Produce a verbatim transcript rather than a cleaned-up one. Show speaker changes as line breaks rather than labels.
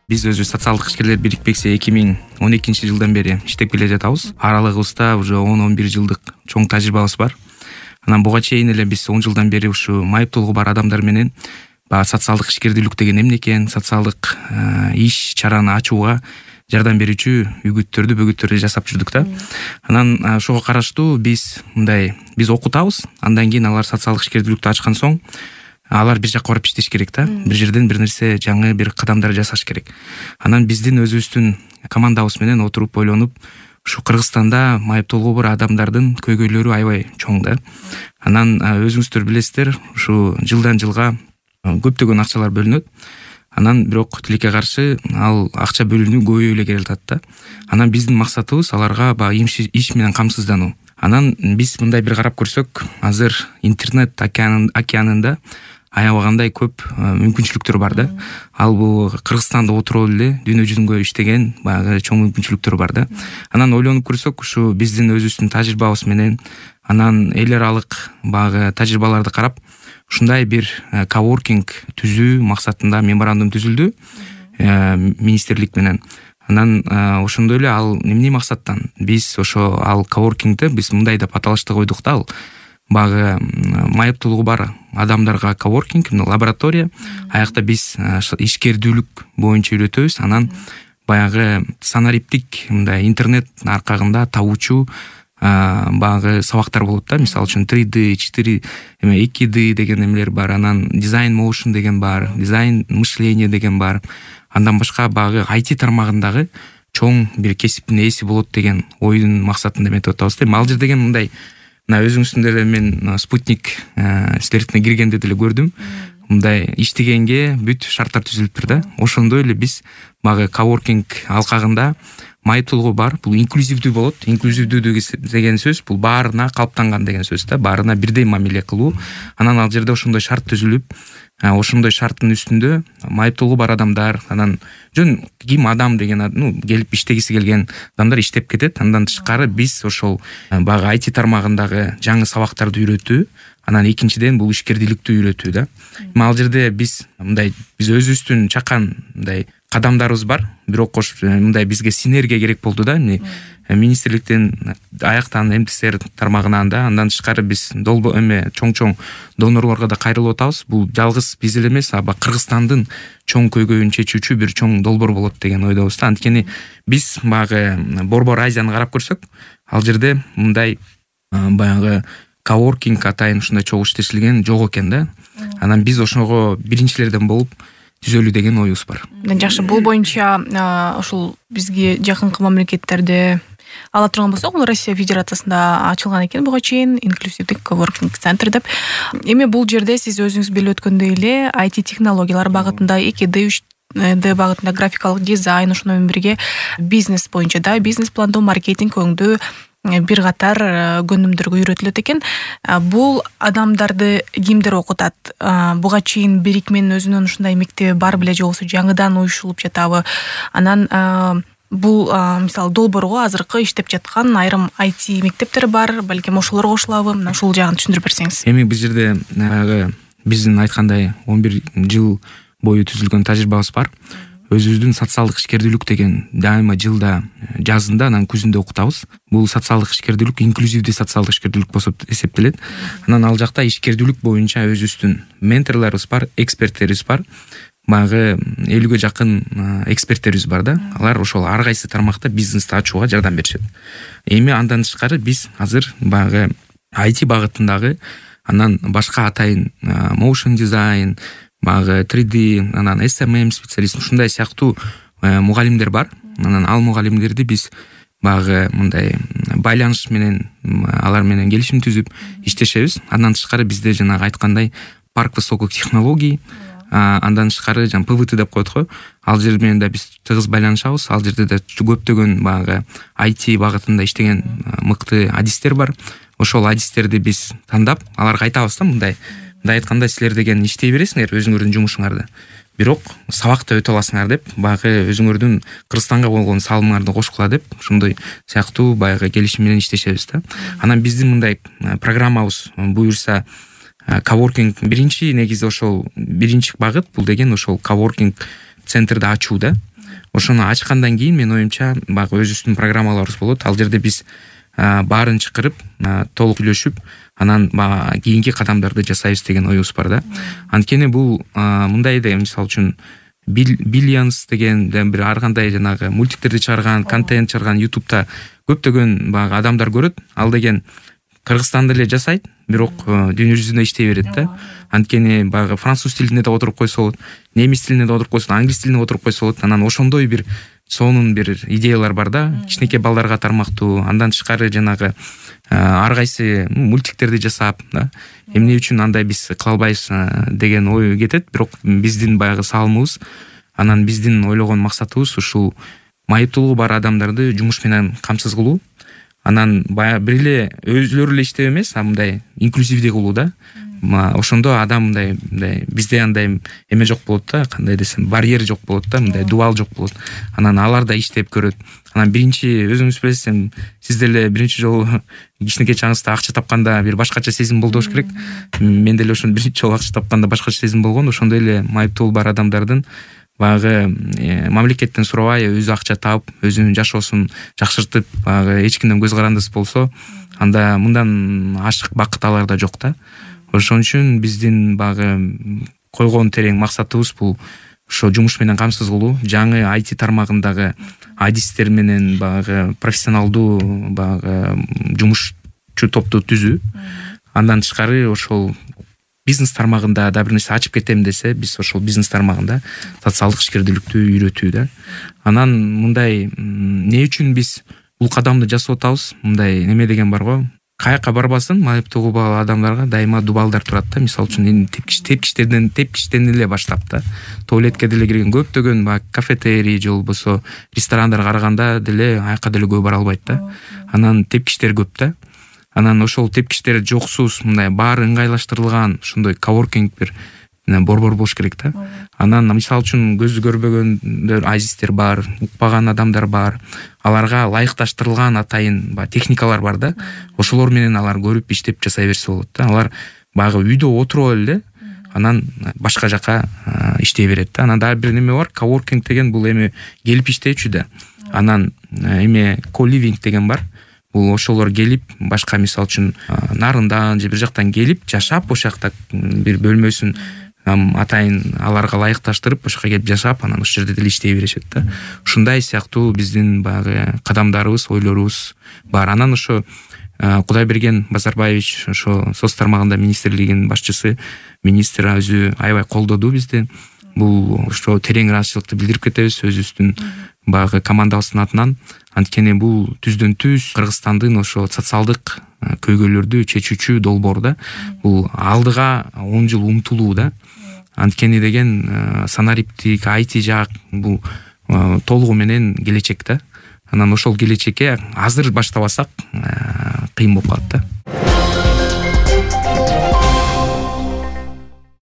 Биз өзүбүз социалдык ишкерлер бирикпекси эки миң он экинчи жылдан бери иштеп келе жатабыз. Аралыгыбызда уже он он бир жылдык чоң тажрыйбабыз бар. Анан буга чейин эле биз он жылдан бери ушу майыптуулугу бар адамдар менен баягы социалдык ишкердүүлүк деген эмне экен, социалдык иш чараны ачууга жардам берүүчү үгүттөрдү, бөгүттөрдү жасап жүрдүк да. Анан ошого караштуу биз мындай биз окутабыз, андан кийин алар социалдык ишкердүүлүктү ачкан соң алар бир жакка барып иштеш керек да. Бир жерден бир нерсе жаңы бир кадамдар жасаш керек. Анан биздин өзүбүздүн командабыз менен отуруп ойлонуп, ушу Кыргызстанда майыптуулугу бар адамдардын көйгөйлөрү аябай чоң да. Анан өзүңүздөр билесиздер, ушу жылдан жылга көптөгөн акчалар бөлүнөт. Анан бирок тилекке каршы ал акча бөлүнүү көбөйүп эле келатат да. Анан биздин максатыбыз аларга баягы иш менен камсыздануу. Анан биз мындай бир карап көрсөк, азыр интернет океанында аябагандай көп мүмкүнчүлүктөр бар да. Ал бул Кыргызстанда отуруп эле дүйнө жүзүндө иштеген баягы чоң мүмкүнчүлүктөр бар да. Анан ойлонуп көрсөк, ушу биздин өзүбүздүн тажрыйбабыз менен, анан эл аралык баягы тажрыйбаларды карап, ушундай бир коворкинг түзүү максатында меморандум түзүлдү министрлик менен. Анан ошондой эле ал эмне максаттан биз ошо ал коворкингди биз мындай деп аталышты койдук да. Ал баягы майыптуулугу бар адамдарга коворкинг, лаборатория. Аякта биз ишкердүүлүк боюнча үйрөтөбүз. Анан баягы санариптик мындай интернет аркагында табуучу баягы сабактар болот да. Мисалы үчүн три дэ, четыре эме эки дэ деген эмелер бар. Анан дизайн моушн деген бар, дизайн мышление деген бар. Андан башка баягы ай ти тармагындагы чоң бир кесиптин ээси болот деген ойдун максатында эметип атабыз да. Ал жер деген мындай, мына өзүңүздүн деле мен спутник силердикине киргенде деле көрдүм. Мындай иштегенге бүт шарттар түзүлүптүр да. Ошондой эле биз баягы коворкинг алкагында майыптуулугу бар, бул инклюзивдүү болот. Инклюзивдүү деген сөз бул баарына калыптанган деген сөз да. Баарына бирдей мамиле кылуу. Анан ал жерде ошондой шарт түзүлүп, ошондой шарттын үстүндө майыптуулугу бар адамдар, анан жөн ким адам деген, ну, келип иштегиси келген адамдар иштеп кетет. Андан тышкары биз ошол баягы ай ти тармагындагы жаңы сабактарды үйрөтүү, анан экинчиден бул ишкердүүлүктү үйрөтүү да. Ал жерде биз мындай биз өзүбүздүн чакан мындай кадамдарыбыз бар. Бирок мындай бизге синергия керек болду да. Министрликтен аяктан эм тэ эс эр тармагынан да, андан тышкары биз долбо эме чоң-чоң донорлорго да кайрылып атабыз. Бул жалгыз биз эле эмес, а Кыргызстандын чоң көйгөйүн чечүүчү бир чоң долбоор болот деген ойдобуз да. Анткени биз баягы Борбор Азияны карап көрсөк, ал жерде мындай баягы коворкинг атайын ушундай чогуу иштешилген жок экен да. Анан биз ошого биринчилерден болуп түзөлүү деген оюбуз бар.
Жакшы, бул боюнча ошол бизге жакынкы мамлекеттерде ала турган болсок, бул Россия Федерациясында ачылган экен буга чейин инклюзивдик коворкинг центр деп. Эми бул жерде сиз өзүңүз билип өткөндөй эле ай ти технологиялар багытында, эки дэ, үч дэ багытында графикалык дизайн, ошону менен бирге бизнес боюнча да, бизнес пландоо, маркетинг өңдөө бир катар көнүмдөргө үйрөтүлөт экен. Бул адамдарды кимдер окутат? Буга чейин бирик менен өзүнүн ушундай мектеби бар беле, же болбосо жаңыдан уюшулуп жатабы? Анан бул мисалы долбоорго азыркы иштеп жаткан айрым ай ти мектептер бар, балким ошолор кошулабы? Мына ушул жагын түшүндүрүп берсеңиз.
Эми бул жерде биздин айткандай он бир жыл бою түзүлгөн тажрыйбабыз бар. Өзүбүздүн социалдык ишкердүүлүк деген дайыма жылда жазында, анан күзүндө окутабыз. Бул социалдык ишкердүүлүк инклюзивдүү социалдык ишкердүүлүк болуп эсептелет. Анан ал жакта ишкердүүлүк боюнча өзүбүздүн менторлорубуз бар, эксперттерибиз бар. Баягы элүүгө жакын эксперттерибиз бар да. Алар ошол ар кайсы тармакта бизнести ачууга жардам беришет. Эми андан тышкары биз азыр баягы ай ти багытындагы, анан башка атайын motion design, баягы три дэ, анан эс эм эм специалист, ушундай сыяктуу мугалимдер бар. Анан ал мугалимдерди биз баягы мындай байланыш менен алар менен келишим түзүп иштешебиз. Андан тышкары бизде жанагы айткандай парк высоких технологий, андан тышкары жан пэ вэ тэ деп коет го. Ал жер менен да биз тыгыз байланышабыз. Ал жерде да көптөгөн баягы ай ти багытында иштеген мыкты адистер бар. Ошол адистерди биз тандап, аларга айтабыз да, мындай мындай айтканда силер деген иштей бересиңер өзүңөрдүн жумушуңарды. Бирок сабакта өтө аласыңар деп, баягы өзүңөрдүн Кыргызстанга болгон салымыңарды кошкула деп, ошондой сыяктуу баягы келишим менен иштешебиз да. Анан биздин мындай программабыз буюрса коворкинг биринчи негизи ошол биринчи багыт бул деген ошол коворкинг центрди ачуу да. ошону ачкандан кийин менин оюмча баягы өзүбүздүн программаларыбыз болот. Ал жерде биз баарын чакырып толук сүйлөшүп, анан баягы кийинки кадамдарды жасайбыз деген оюбуз бар да. Анткени бул мындай да, мисалы үчүн Billions деген бир ар кандай жанагы мультиктерди чыгарган, контент чыгарган ютубта көптөгөн баягы адамдар көрөт. Ал деген Кыргызстанда эле жасайт, бирок дүйнө жүзүндө иштей берет да. Анткени баягы француз тилинде да отуруп койсо болот, немис тилинде да отуруп койсо, англис тилинде отуруп койсо болот. Анан ошондой бир сонун бир идеялар бар да. Кичинекей балдарга тармактуу, андан тышкары жанагы ар кайсы мультиктерди жасап, да. Эмне үчүн андай биз кыла албайбыз деген ой кетет. Бирок биздин баягы салымыбыз, анан биздин ойлогон максатыбыз ушул майыптуулугу бар адамдарды жумуш менен камсыз кылуу. Анан баягы бир эле өзүлөрү эле иштеп эмес, а мындай инклюзивдүү кылуу да. Ошондо адам мындай мындай бизде андай эме жок болот да, кандай десем, барьер жок болот да, мындай дубал жок болот. Анан алар да иштеп көрөт. Анан биринчи өзүңүз билесиз, сиз деле биринчи жолу кичинекей чагыңызда акча тапканда бир башкача сезим болду болуш керек. Мен деле ошону биринчи жолу акча тапканда башкача сезим болгон. Ошондой эле майыптуулугу бар адамдардын баягы мамлекеттен сурабай өзү акча таап, өзүнүн жашоосун жакшыртып, баягы эч кимден көз карандысыз болсо, анда мындан ашык бакыт аларда жок да. Ошон үчүн биздин баягы койгон терең максатыбыз бул ошо жумуш менен камсыз кылуу, жаңы ай ти тармагындагы адистер менен баягы профессионалдуу баягы жумушчу топту түзүү. Андан тышкары ошол бизнес тармагында да бир нерсе ачып кетем десе, биз ошол бизнес тармагында социалдык ишкердүүлүктү үйрөтүү да. Анан мындай эмне үчүн биз бул кадамды жасап атабыз? Мындай неме деген бар го. Каяка барбасын, майыптуулугу бар адамдарга дайыма дубалдар турат да. Мисалы үчүн тепкич тепкичтерден тепкичтен эле баштап да. Туалетке деле кирген көптөгөн баягы кафетерий же болбосо ресторандар караганда деле аяка деле көп бара албайт да. Анан тепкичтер көп да. Анан ошол тепкичтер жоксуз, мындай баары ыңгайлаштырылган ошондой коворкинг бир борбор болуш керек да. Анан мисалы үчүн көзү көрбөгөндөр, азистер бар, укпаган адамдар бар. Аларга ылайыкташтырылган атайын баягы техникалар бар да. Ошолор менен алар көрүп иштеп жасай берсе болот да. Алар баягы үйдө отуруп эле, анан башка жака иштей берет да. Анан дагы бир неме бар, коворкинг деген бул эми келип иштечү да. Анан эме коливинг деген бар. Бул ошолор келип, башка мисалы үчүн нарындан же бир жактан келип жашап, ошол жакта бир бөлмөсүн атайын аларга ылайыкташтырып, ошол жака келип жашап, анан ошол жерде деле иштей беришет да. Ушундай сыяктуу биздин баягы кадамдарыбыз, ойлорубуз бар. Анан ошо Кудайберген Базарбаевич, ошо соц тармагында министрлигинин башчысы, министр өзү аябай колдоду бизди. Бул ошо терең ыраазычылыкты билдирип кетебиз өзүбүздүн баягы командабыздын атынан. Анткени бул түздөн түз Кыргызстандын ошо социалдык көйгөйлөрдү чечүүчү долбоор да. Бул алдыга он жыл умтулуу да. Анткени деген санариптик, ай ти жак бул толугу менен келечек да. Анан ошол келечекке азыр баштабасак кыйын болуп калат да.